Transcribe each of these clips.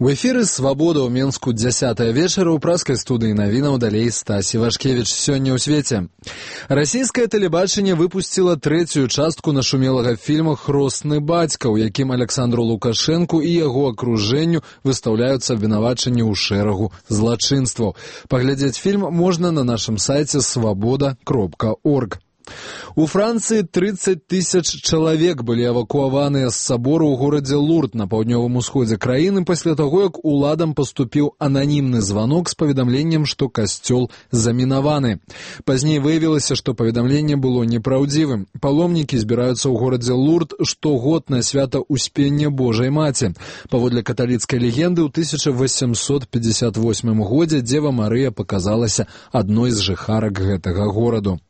У эфіры «Свабода» ў Менску 10 вечара ў праскай студыі навінаў далей Стась Івашкевіч. Сёння ў свеце. Расійскае тэлебачанне выпусціла трэцюю частку нашумелага фільма «Хросны бацька», у якім Александру Лукашэнку і яго акружэнню выстаўляюцца абвінавачанні ў шэрагу злачынстваў. Паглядзець фільм можна на нашым сайце свабода.орг. У Францыі 30 тысяч чалавек былі эвакуаваныя з сабору ў горадзе Лурд на паўднёвым усходзе краіны пасля таго, як уладам паступіў ананімны званок з паведамленнем, што касцёл замінаваны. Пазней выявілася, што паведамленне было непраўдзівым. Паломнікі збіраюцца ў горадзе Лурд штогод на свята Успення Божай Маці. Паводле каталіцкай легенды, ў 1858 годзе Дзева Марыя паказалася адной з жыхарак гэтага гораду.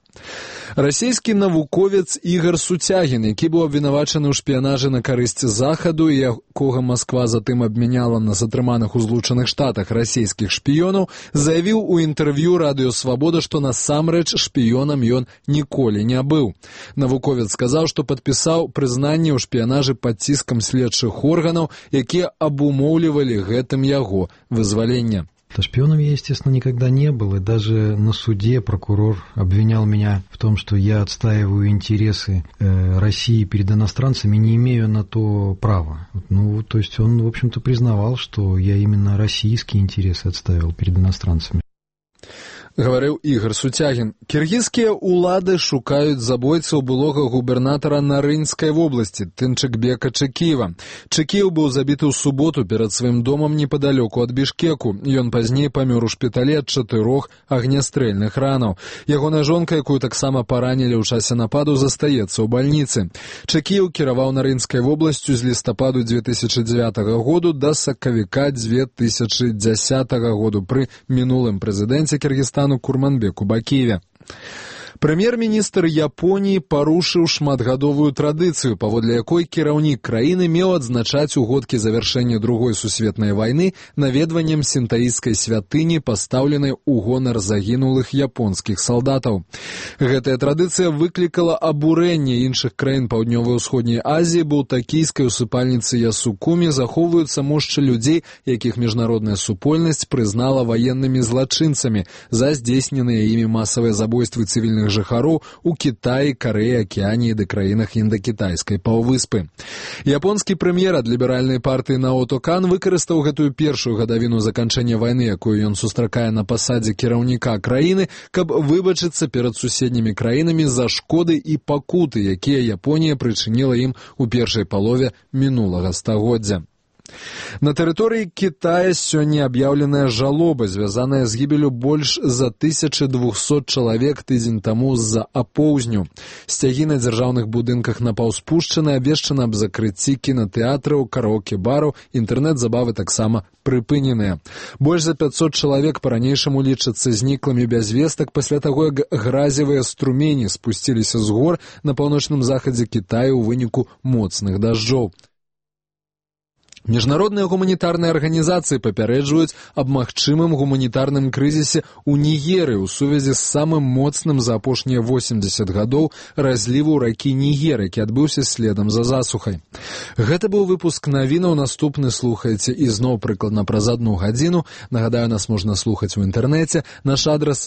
Расійскі навуковец Ігар Суцягін, які быў абвінавачаны ў шпіянажы на карысць Захаду і якога Масква затым абмяняла на затрыманых у Злучаных Штатах расійскіх шпіёнаў, заявіў у інтэрв'ю Радыё Свабода, што насамрэч шпіёнам ён ніколі не быў. Навуковец сказаў, што падпісаў прызнанне ў шпіянажы пад ціскам следчых органаў, якія абумоўлівалі гэтым яго вызваленне. Шпионом я, естественно, никогда не был, и даже на суде прокурор обвинял меня в том, что я отстаиваю интересы России перед иностранцами, не имею на то права. Ну, то есть он, в общем-то, признавал, что я именно российские интересы отстаивал перед иностранцами. Гаварыў Ігар Суцягін. Кіргізскія ўлады шукаюць забойцаў былога губернатара Нарынскай вобласці Тынчыкбека Чыкіева. Чыкіев быў забіты ў суботу перад сваім домам непадалёку ад Бішкеку. Ён пазней памёр у шпіталі ад 4 агнястрэльных ранаў. Ягоная жонка, якую таксама паранілі ў часе нападу, застаецца ў бальніцы. Чыкіев кіраваў Нарынскай вобласцю з лістападу 2009 году да сакавіка 2010 году пры мінулым прэзідэнце Кіргізстана Курманбеку Бакиеве. Прэм'ер-міністр Японіі парушыў шматгадовую традыцыю, паводле якой кіраўнік краіны меў адзначаць угодкі завяршэння Другой сусветнай вайны наведваннем сінтаісцкай святыні, пастаўленай у гонар загінулых японскіх салдатаў. Гэтая традыцыя выклікала абурэнне іншых краін Паўднёвай усходняй Азіі, бо ў такійскай усыпальніцы Ясукумі захоўваюцца мошчы людзей, якіх міжнародная супольнасць прызнала ваеннымі злачынцамі за здзейсненыя імі масавыя забойствы цывільных жыхароў у Кітаі, Карэі, Акіяніі ды краінах індакітайскай паўвыспы. Японскі прэм'ер ад ліберальнай партыі Наото Кан выкарыстаў гэтую першую гадавіну заканчэння вайны, якую ён сустракае на пасадзе кіраўніка краіны, каб выбачыцца перад суседнімі краінамі за шкоды і пакуты, якія Японія прычыніла ім у першай палове мінулага стагоддзя. На тэрыторыі Кітая сёння аб'яўленая жалоба, звязаная з гібелю больш за 1200 чалавек тыдзень таму з-за апоўзню. Сцягі на дзяржаўных будынках напаўспушчаны, абвешчана аб закрыцці кінатэатраў, караоке-бараў, інтэрнэт-забавы таксама прыпыненыя. Больш за 500 чалавек па-ранейшаму лічацца зніклымі без вестак пасля таго, як гразевыя струмені спусціліся з гор на паўночным захадзе Кітаю ў выніку моцных дажджоў. Міжнародныя гуманітарныя арганізацыі папярэджваюць аб магчымым гуманітарным крызісе ў Нігерыі ў сувязі з самым моцным за апошнія 80 гадоў разліву ракі Нігер, які адбыўся следам за засухай. Гэта быў выпуск навінаў, наступны слухаеце ізноў прыкладна праз 1 гадзіну. Нагадаю, нас можна слухаць у інтэрнэце. Наш адрас